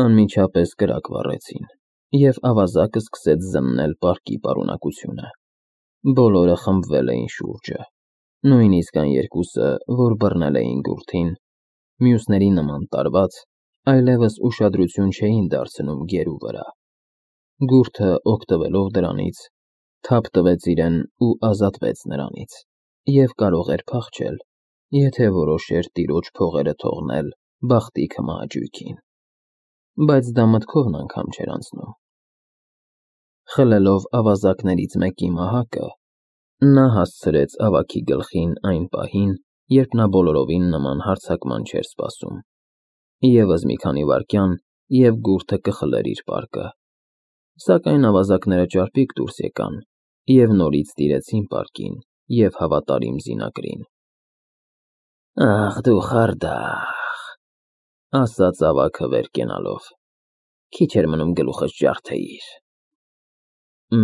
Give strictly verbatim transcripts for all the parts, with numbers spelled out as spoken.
Անմիջապես կրակ վառեցին, և ավազակը սկսեց զննել պարկի պարունակությունը։ Բոլորը խմբվել էին շուրջը, նույնիսկ այն երկուսը, որ բռնել էին գուռթին, մյուսների նման տարված, այլևս ուշադրություն չէին դարձնում գերու վրա։ Գուռթը, օգտվելով դրանից, թափ տվեց իրեն ու ազատվեց նրանից, և կարող էր փախչել, եթե որոշեր տիրոջ փողերը թողնել բախտի քմահաճույքին։ Բայց դա մտքովն անգամ չէր անցնում։ Խլելով ավազակներից մեկի մահակը, նա հասցրեց ավագի գլխին այն պահին, երբ նա բոլորովին նման հարձակման չէր սպասում։ Եվս մի քանի վայրկյան, և գուռթը կխլեր իր պարկը։ Սակայն ավազակները ճարպիկ դուրս եկան և նորից տիրեցին պարկին և հավատարիմ զինակրին։ «Ախ դու խարդախ», ասաց ավագը վեր կենալով, «քիչ էր մնում գլուխս ջարդեիր։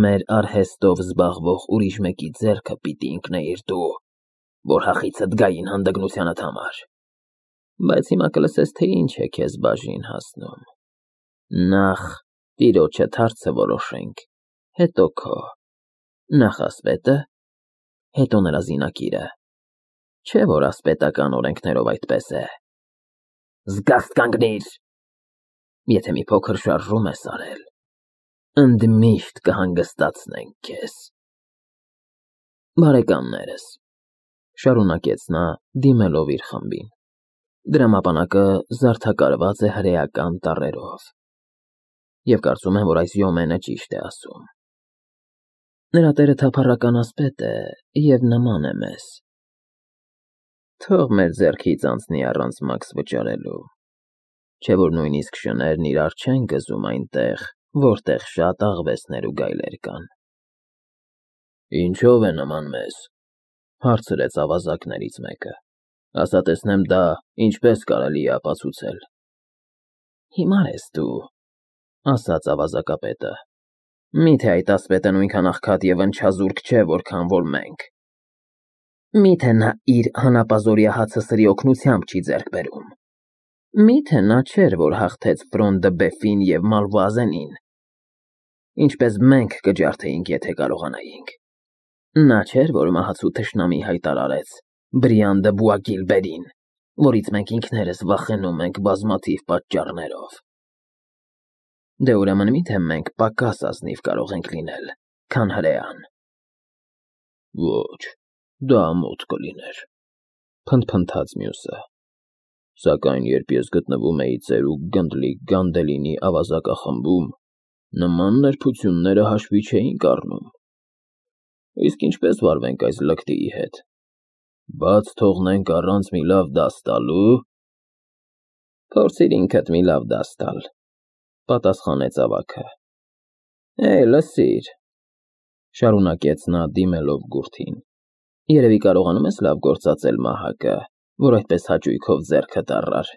Մեր արհեստով զբաղվող ուրիշ մեկի ձեռքը պիտի ընկնեիր դու, որ հախիցդ գային հանդգնությանդ համար։ Բայց հիմա կլսես, թե ինչ է քեզ բաժին հասնում։ Նախ տիրոջդ հարցը որոշենք, հետո քո, նախ ասպետը, հետո նրա զինակիրը, չէ՞ որ ասպետական օրենքներով այդպես է։ Զգաստ կանգնիր, եթե մի փոքր շարժում ես արել, ընդմիշտ կհանգստացնենք քեզ»։ «Բարեկամներս», շարունակեց նա, դիմելով իր խմբին, «դրամապանակը զարդակարված է հրեական տառերով, և կարծում եմ, որ այս Յոմենը ճիշտ է ասում։ Նրա տերը թափառական ասպետ է և նման է մեզ։ Թող մեր ձեռքից անցնի առանց մաքս վճարելու, չէ՞ որ նույնիսկ շներն իրար չեն գզում այնտեղ, որտեղ շատ աղվեսներ ու գայլեր կան»։ «Ինչո՞վ է նման մեզ», հարցրեց ավազակներից մեկը, «ասա տեսնեմ, դա ինչպես կարելի է ապացուցել»։ «Հիմար ես դու», ասաց ավազակապետը, «միթե այդ ասպետը նույնքան աղքատ և ընչազուրկ չէ, որքան որ մենք։ Միթե նա իր հանապազօրյա հացը սրի օգնությամբ չի ձեռք բերում։ Միթե նա չէր, որ հաղթեց Ֆրոն դը Բեֆին և Մալվուազենին, ինչպես մենք կջարդեինք, եթե կարողանայինք։ Նա չէր, որ մահացու թշնամի հայտարարեց Բրիան դը Բուագիլբերին, որից մենք ինքներս վախենում ենք բազմաթիվ պատճառներով։ Դե ուրեմն միթե մենք պակաս ազնիվ կարող ենք լինել, քան հրեան»։ «Ոչ, դա ամոթ կլիներ», փնթփնթաց մյուսը, «սակայն երբ ես գտնվում էի ծերուկ գնդլիկ Գանդելինի ավազակախմբում, նման նրբությունները հաշվի չէինք առնում։ Իսկ ինչպե՞ս վարվենք այս լկտիի հետ, բաց թողնենք առանց մի լավ դաս տալու։ Փորձիր ինքդ մի լավ դաս տալ», պատասխանեց ավագը։ «Էյ, լսիր», շարունակեց նա, դիմելով գուռթին, «երևի կարողանում ես լավ գործածել մահակը, որ այդպես հաճույքով ձեռքդ առար»։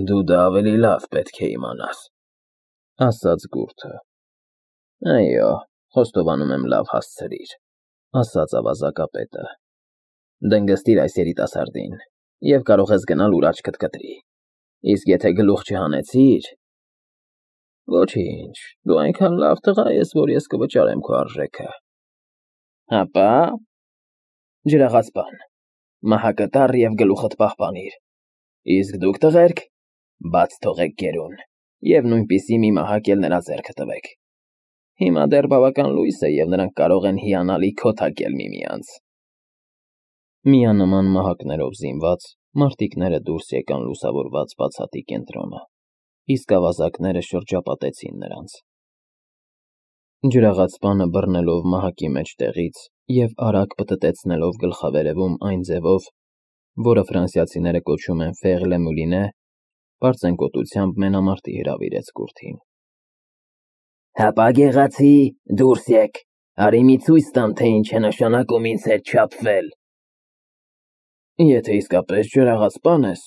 «Դու դա ավելի լավ պետք է իմանաս», ասաց գուռթը։ «Այո, խոստովանում եմ, լավ հասցրիր», ասաց ավազակապետը։ «Դնգստիր այս երիտասարդին, և կարող ես գնալ, ուր աչքդ կտրի, իսկ եթե գլուխ չհանեցիր… Ոչինչ, դու այնքան լավ տղա ես, որ ես կվճարեմ քո արժեքը։ Հապա… Ջրաղաց բան, մահակը տար և գլուխդ պահպանիր, իսկ դուք, տղերք, բաց թողեք գերուն և նույնպիսի մի մահակ էլ նրա ձեռքը տվեք։ Հիմա դեռ բավական լույս է, և նրանք կարող են հիանալի քոթակել միմյանց»։ Միանման մահակներով զինված մարտիկները դուրս եկան լուսավորված բացատի կենտրոնը, իսկ ավազակները շրջապատեցին նրանց։ Ջրաղացպանը բռնելով մահակի մեջտեղից և արագ պտտեցնելով գլխավերևում այն ձևով, որը ֆրանսիացիները կոչում են Faire le Moulinet, պարծենկոտությամբ մենամարտի հրավիրեց գուռթին։ «Հապա գեղացի, դուրս եկ, արի մի ցույց տամ, թե ինչ է նշանակում ինձ հետ չափվել»։ «Եթե իսկապես ջրաղացպան ես»,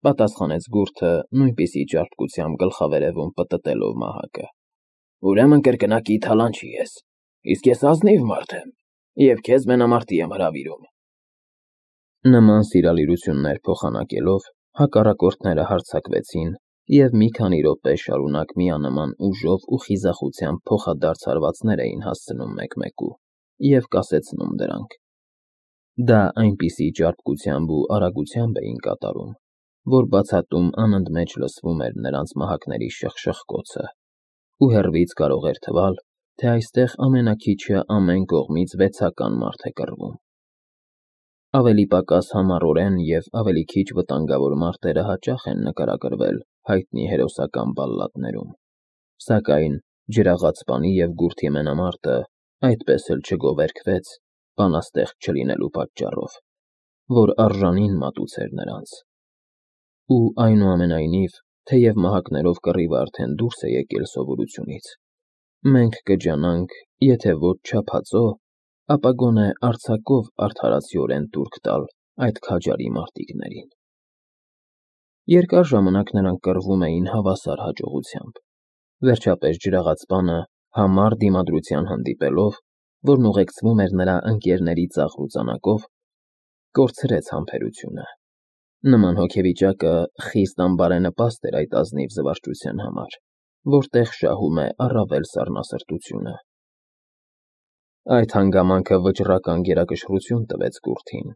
պատասխանեց գուռթը, նույնպիսի ճարպկությամբ գլխավերևում պտտելով մահակը, «ուրեմն կրկնակի թալանչի ես, իսկ ես ազնիվ մարդ եմ, և քեզ մենամարտի եմ հրավիրում»։ Նման սիրալիրություններ փոխանակելով, հակառակորդները հարձակվեցին և մի քանի րոպե շարունակ միանման ուժով ու խիզախությամբ փոխադարձ հարվածներ էին հասցնում մեկ֊մեկու և կասեցնում դրանք։ Դա այնպիսի ճարպկությամբ ու արագությամբ էին կատարում, որ բացատում անընդմեջ լսվում էր նրանց մահակների շխշխկոցը, ու հեռվից կարող էր թվալ, թե այստեղ ամենաքիչը ամեն կողմից վեցական մարդ է կռվում։ Ավելի պակաս համառորեն և ավելի քիչ վտանգավոր մարտերը հաճախ են նկարագրվել հայտնի հերոսական բալլադներում, սակայն ջրաղացպանի և գուրթի մենամարտը այդպես էլ չգովերգվեց բանաստեղծ չլինելու պատճառով, որ արժանին մատուցեր նրանց։ Ու այնուամենայնիվ, թեև մահակներով կռիվը արդեն դուրս է եկել սովորությունից, մենք կջանանք, եթե ոչ չափածո, ապա գոնե արձակով արդարացիորեն տուրք տալ այդ քաջարի մարտիկներին։ Երկար ժամանակ նրանք կռվում էին հավասար հաջողությամբ։ Վերջապես ջրաղացպանը, համառ դիմադրության հանդիպելով, որն ուղեկցվում էր նրա ընկերների ծաղրուծանակով, կորցրեց համբերությունը։ Նման հոգեվիճակը խիստ անբարենպաստ էր այդ ազնիվ զվարճության համար, որտեղ շահում է առավել սառնասրտությունը։ Այդ հանգամանքը վճռական գերակշռություն տվեց գուրթին,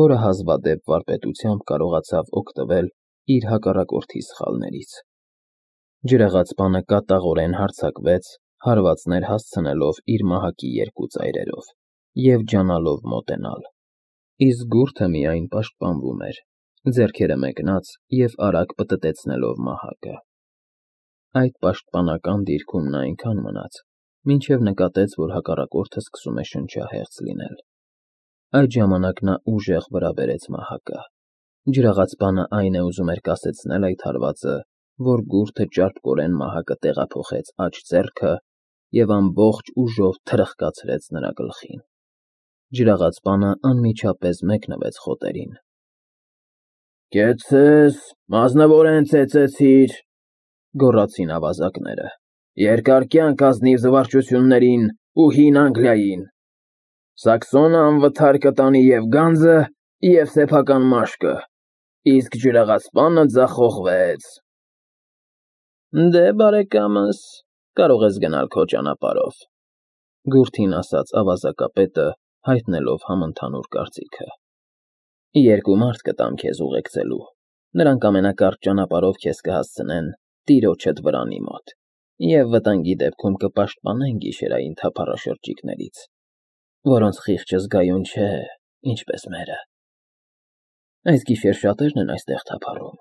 որը հազվադեպ վարպետությամբ կարողացավ օգտվել իր հակառակորդի սխալներից։ Ջրաղացպանը կատաղորեն հարձակվեց, հարվածներ հասցնելով իր մահակի երկու ծայրերով և ջանալով մոտենալ, իսկ գուրթը միայն պաշտպանվում էր, ձեռքերը մեկնած և արագ պտտեցնելով մահակը։ Այդ պաշտպանական դիրքում նա այնքան մնաց, մինչև նկատեց, որ հակառակորդը սկսում է շնչահեղձ լինել։ Այդ ժամանակ նա ուժեղ վրա բերեց մահակը։ Ջրաղացպանը այն է ուզում էր կասեցնել այդ հարվածը, որ գուրթը ճարպկորեն մահակը տեղափոխեց աջ ձեռքը և ամբողջ ուժով թրխկացրեց նրա գլխին։ Ջրաղացպանը անմիջապես մեկնվեց խոտերին։ ֊ Կեցցես, մասնավորեն ծեծեցիր,֊ գոռացին ավազակները,֊ երկար կյանք ազնիվ զվարճություններին ու հին Անգլիային… Սաքսոնը անվթար կտանի և գանձը, և սեփական մաշկը, իսկ ջրաղացպանը ձախողվեց… ֊ Դե, բարեկամս, կարող ես գնալ քո ճանապարհով,֊ գուրթին ասաց ավազակապետը, հայտնելով համընդհանուր կարծիքը։ ֊ Երկու մարդ կտամ քեզ ուղեկցելու, նրանք ամենակարճ ճանապարհով քեզ կհասցնեն տիրոջդ վրանի մոտ և վտանգի դեպքում կպաշտպանեն գիշերային թափառաշրջիկներից, որոնց խիղճը զգայուն չէ, ինչպես մերը։ Այս գիշեր շատերն են այստեղ թափառում։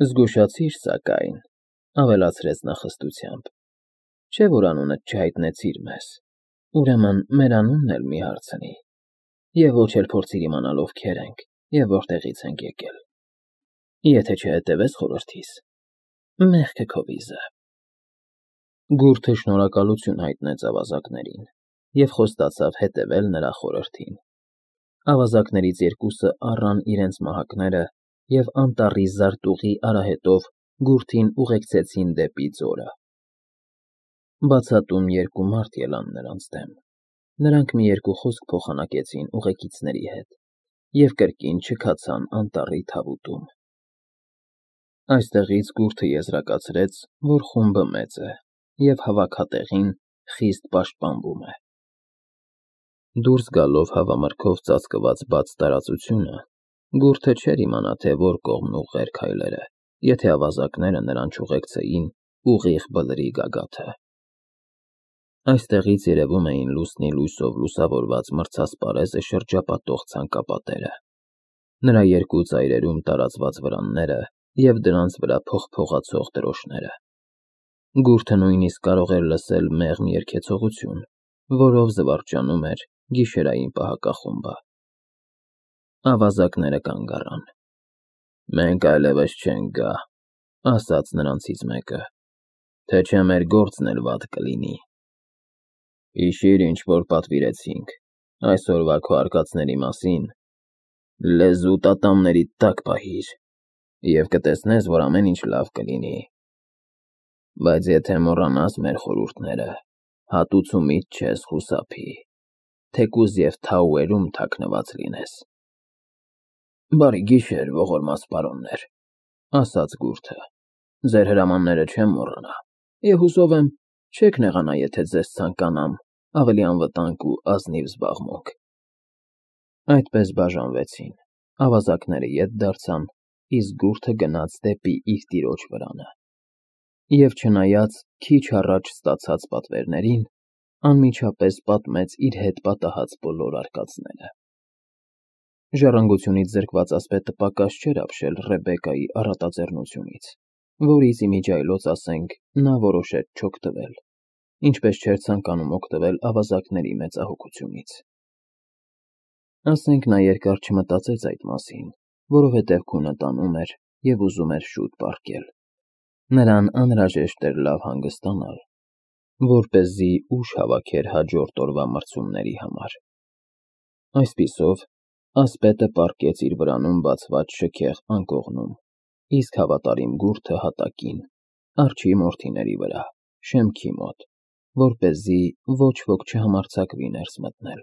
Զգուշացիր, սակայն,֊ ավելացրեց նա խստությամբ, չէ՞ որ անունդ չհայտնեցիր մեզ, ուրեմն մեր անունն էլ մի հարցնի, և ոչ էլ փորձիր իմանալ ովքեր ենք և որտեղից ենք եկել։ Եթե չհետևես խորհրդիս, մեղքը քո վիզը… Գուրթը շնորհակալություն հայտնեց ավազակներին և խոստացավ հետևել նրա խորհրդին։ Ավազակներից երկուսը առան իրենց մահակները և անտառի զարտուղի արահետով գուրթին ուղեկցեցին դեպի ձորը։ Բացատում երկու մարդ ելան նրանց դեմ։ Նրանք մի երկու խոսք փոխանակեցին ուղեկիցների հետ և կրկին չքացան անտառի թավուտում։ Այստեղից գուրթը եզրակացրեց, որ խումբը մեծ է և հավաքատեղին խիստ պաշտպանվում է։ Դուրս գալով հավամրգով ծածկված բաց տարածությունը, գուրթը չէր իմանա, թե որ կողմն ուղղեր քայլերը, եթե ավազակները նրան չուղեկցեին ուղիղ բլրի գագաթը։ Այստեղից երևում էին լուսնի լույսով լուսավորված մրցասպարեզը շրջապատող ցանկապատերը, նրա երկու ծայրերում տարածված վրանները և դրանց վրա փողփողացող դրոշները։ Գուրթը նույնիսկ կարող էր լսել մեղմ երգեցողություն, որով զվարճանում էր գիշերային պահակախումբը։ Ավազակները կանգ առան։ ֊ Մենք այլևս չենք գա,֊ ասաց նրանցից մեկը,֊ թե չէ մեր գործն էլ վատ կլինի։ Հիշի՛ր, ինչ որ պատվիրեցինք այսօրվա քո արկածների մասին, լեզուդ ատամներիդ տակ պահիր, և կտեսնես, որ ամեն ինչ լավ կլինի։ Բայց եթե մոռանաս մեր խորհուրդները, հատուցումիդ չես խուսափի, թեկուզ և Թաուերում թաքնված լինես։ ֊ Բարի գիշեր, ողորմած պարոններ,֊ ասաց գուրթը։ Ձեր հրամանները չեմ մոռանա, և հուսով եմ, չեք նեղանա, եթե ձեզ ցանկանամ ավելի անվտանգ ու ազնիվ զբաղմունք։ Այդպես բաժանվեցին, ավազակները ետ դարձան, իսկ գուրջը գնաց դեպի իր տիրոջ վրանը։ Եվ չնայած քիչ առաջ ստացած պատվերներին, անմիջապես պատմեց իր հետ պատահած բոլոր արկածները։ Ժառանգությունից զրկված ասպետը պակաս չէր ապշել Ռեբեկայի առատաձեռնությունից, որից, ի միջի այլոց ասենք, նա որոշեց չօգտվել, ինչպես չէր ցանկանում օգտվել ավազակների մեծահոգությունից։ Ասենք նա երկար չմտածեց այդ մասին, որովհետև քունը տանում էր և ուզում էր շուտ պառկել։ Նրան անհրաժեշտ էր լավ հանգստանալ, որպեսզի ուժ հավաքեր հաջորդ օրվա մրցումների համար։ Այսպիսով, ասպետը պառկեց իր վրանում բացված շքեղ անկողնում, իսկ հավատարիմ գուրջը հատակին, արջի մորթիների վրա, շեմքի մոտ, որպեսզի ոչ ոք չհամարձակվի ներս մտնել։